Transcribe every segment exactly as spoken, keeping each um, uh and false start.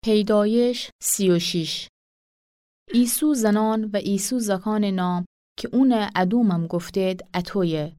پیدایش سی و شیش. ایسو زنان و ایسو زکانٚ نام کی اونَ ادومم گفتید اطویه.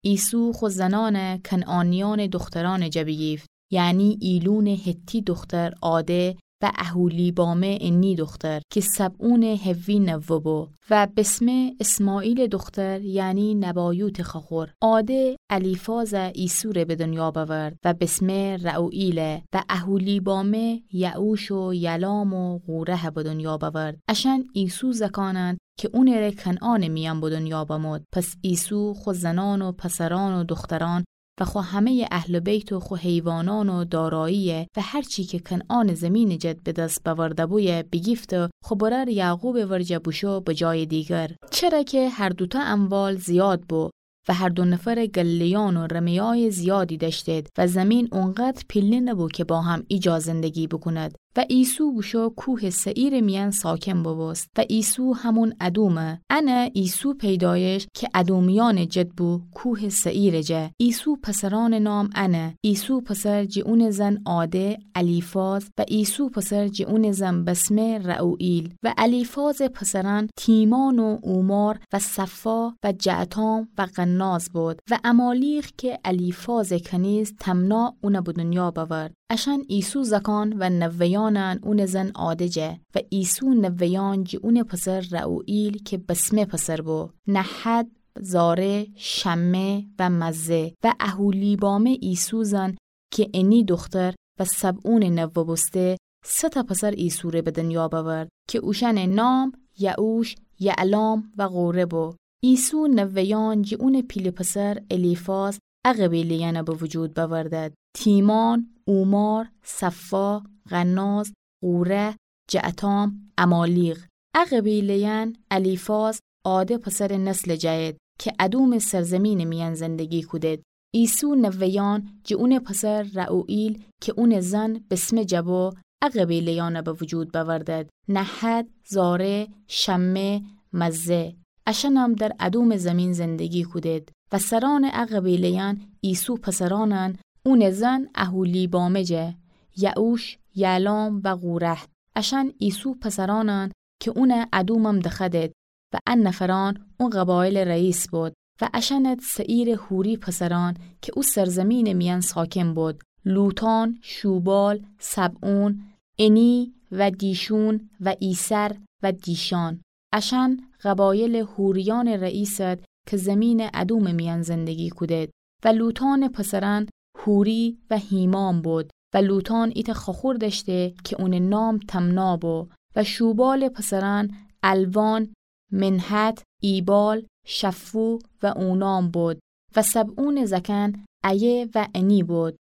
ایسو خو زنانَ کنعانیأنٚ دوخترأنٚ جا بیگیفت، یعنی ایلونٚ حتی دوختر عاده و اهولیبامه انی دوختر کی سبعونٚ حوی نوه بو و بسمه اسماعیلٚ دوختر، یعنی نبایوتٚ خوأخور. عاده الیفازَ ایسو ره به دنیا بأورد و بسمه رعوئیل و اهولیبامه یعوش و یلام و قورهَ به دنیا بأورد. اشأن ایسو زکانند کی اونٚ ره کنعانٚ میأن به دنیا بمود. پس ایسو خو زنان و پسرأن و دوخترأن و خو همه‌یٚ اهل بیت و خو حیوانأن و داراییَ و هر چی کی کنعانٚ زیمینٚ جا به دس بأورده‌بویه بیگیفت و خو برأر یعقوبٚ ورجه بوشو به جایٚ دیگر. چره کی هر دوتأ اموال زیاد بو و هر دو نفرٚ گله‌یأن و رمه‌یأیٚ زیادی دأشتید و زیمین اونقدر پیله نبو کی با هم ایجا زندگی بوکوند. و ایسو بوشو کوهٚ سعیرٚ میأن ساکن بوبوست. و ایسو همون ادومه. انه ایسو پیدایش کی ادومیأنٚ جد بو کوهٚ سعیرٚ جا. ایسو پسرأنٚ نام انه: ایسو پسر جی اونٚ زن عاده الیفاز، و ایسو پسر جی اونٚ زن بسمه رعوئیل. و الیفازٚ پسرأن تیمان و اومار و صفا و جعتام و قناز بود. و عمالیق کی الیفازٚ کنیز تمنا اونَ به دنیا بأورد. اشأن ایسو زکان و نوه‌یأنأن اونٚ زن عاده جا. و ایسو نوه‌یأن جی اونٚ پسر رعوئیل کی بسمه پسر بو: نحد، زاره، شمه و مزه. و اهولیبامه ایسو زن کی انی دوختر و سبعونٚ نوه بوسته، سه‌تأ پسر ایسو ره به دنیا بأورد کی اوشأنٚ نام یعوش، یعلام و قوره بو. ایسو نوه‌یأن جی اونٚ پیله پسر الیفاز ا قبیله‌یأنَ به وجود بأوردد: تیمان، اومار، صفا، قناز، قوره، جعتام، عمالیق. ا قبیله‌یأن الیفاز عاده پسرٚ نسلٚ جا اید کی ادومٚ سرزیمینٚ میأن زندگی کودید. ایسو نوه‌یأن جی اونٚ پسر رعوئیل کی اونٚ زن بسمه جا بو ا قبیله‌یأنَ به وجود بأوردد: نحد، زاره، شمه، مزه. اشأنم در ادومٚ زیمین زندگی کودید. و سرأنٚ ا قبیله‌یأن ایسو پسرأنأن اونٚ زن اهولیبامه جا: یعوش، یعلام و قوره. اشأن ایسو پسرأنأن کی اونَ ادومم دخوأدید. و ا نفرأن او قبایلٚ رئیس بود. و اشأنت سعیرٚ حوری پسرأن کی او سرزیمینٚ میأن ساکن بود: لوطان، شوبال، سبعون، انی و دیشون و ایسر و دیشان. اشأن قبایلٚ حوریأنٚ رئیسد کی زیمینٚ ادومٚ میأن زندگی کودید. و لوطانٚ پسرأن حوری و هیمام بود. و لوطان ایتأ خوأخور دأشته کی اونٚ نام تمنا بو. و شوبالٚ پسرأن علوان، منحد، ایبال، شفو و اونام بود. و سبعونٚ زأکأن ایه و انی بود.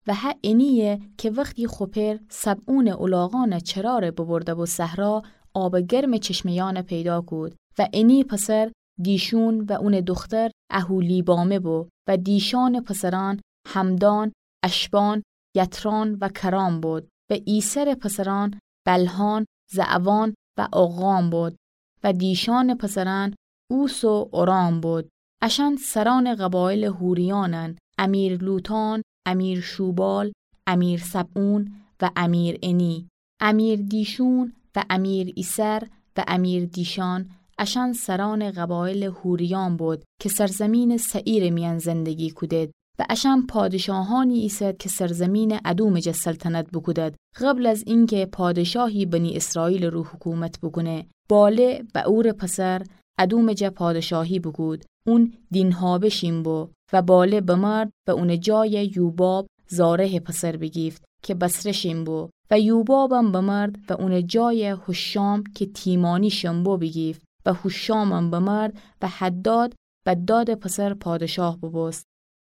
و هه انییه کی وختی خو پئر سبعونٚ الاغأنٚ چرا ره ببرده بو صحرا، آبٚ گرمٚ چشمه‌یأنَ پیدا کود. و انی پسر دیشون و اونٚ دوختر اهولیبامه بو. و دیشانٚ پسرأن حمدان، اشبان، یتران و کرام بود. و ایسرٚ پسرأن بلهان، زعوان و عقام بود. و دیشانٚ پسرأن اوس و اورام بود. اشأن سرأنٚ قبایلٚ حوریأنأن: امیر لوطان، امیر شوبال، امیر سبعون و امیر انی. امیر دیشون و امیر ایسر و امیر دیشان، اشأن سرأنٚ قبایلٚ حوریأن بود کی سرزیمینٚ سعیرٚ میأن زندگی کودید. و اشأن پادشاهأنی ایسد کی سرزیمینٚ ادومٚ جا سلطنت بوکودد، قبل از اینکی پادشاهی بنی اسرائیلٚ رو حکومت بوکونه. باله، بعورٚ پسر، ادومٚ جا پادشاهی بوکود. اون دینهابه شین بو. و باله بمرد و اونٚ جای یوباب زارهٚ پسر بیگیفت کی بصره شین بو. و یوبابم بمرد و اونٚ جای هوشام کی تیمانی شین بو بیگیفت. و هوشامم بمرد و حداد، بدادٚ پسر، پادشاه بوبوست.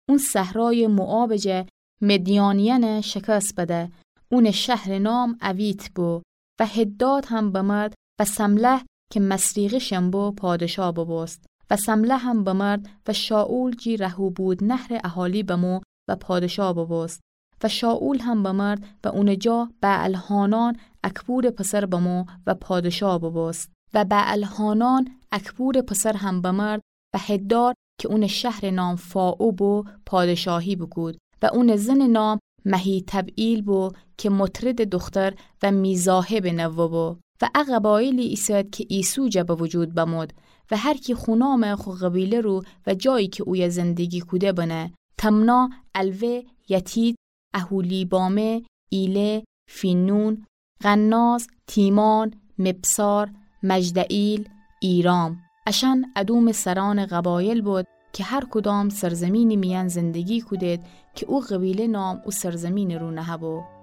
اون صحرایٚ موآبٚ جا مدیانیأنَ شکست بده. اونٚ شهرٚ نام اویت بو. و حداد هم بمرد و سملح کی مصریقی شین بو پادشاه بوبوست. و سملحم بمرد و شائول جی رهوبوت‌نحرٚ اهالی بمو و پادشاه بوبوست. و شائول هم بمرد و اونٚ جا بعل‌حانان اکبورٚ پسر بمو و پادشاه بوبوست. و بعل‌حانان اکبورٚ پسر هم بمرد و حداد کی اونٚ شهرٚ نام فائو بو پادشاهی بوکود و اونٚ زنٚ نام مهیتبعیل بو کی مطردٚ دوختر و میزاحبٚ نوه بو. و ا قبایلی ایسه‌د کی ایسو جا به وجود بمود و هر کی خو نامٚ خو قبیله رو و جایی کی اویه زندگی کوده بنه: تمنا، علوه، یتید، اهولیبامه، ایله، فینون، قناز، تیمان، مبصار، مجدعیل، ایرام. اشأن ادومٚ سرأنٚ قبایل بود کی هر کدام سرزمینی میأن زندگی کودید کی او قبیله نام او سرزمینٚ رو نهه‌بو.